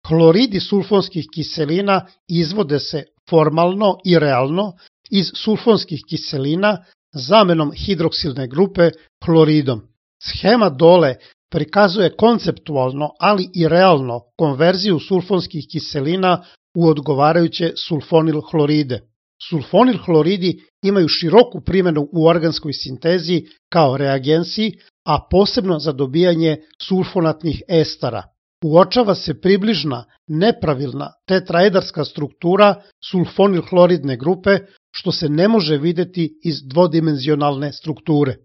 Hloridi sulfonskih kiselina izvode se formalno i realno iz sulfonskih kiselina zamenom hidroksilne grupe hloridom. Schema dole prikazuje konceptualno, ali i realno konverziju sulfonskih kiselina u odgovarajuće sulfonil hloride. Sulfonil hloridi imaju široku primjenu u organskoj sintezi kao reagensi, a posebno za dobijanje sulfonatnih estara. Uočava se približna, nepravilna tetraedarska struktura sulfonil hloridne grupe, što se ne može videti iz dvodimenzionalne strukture.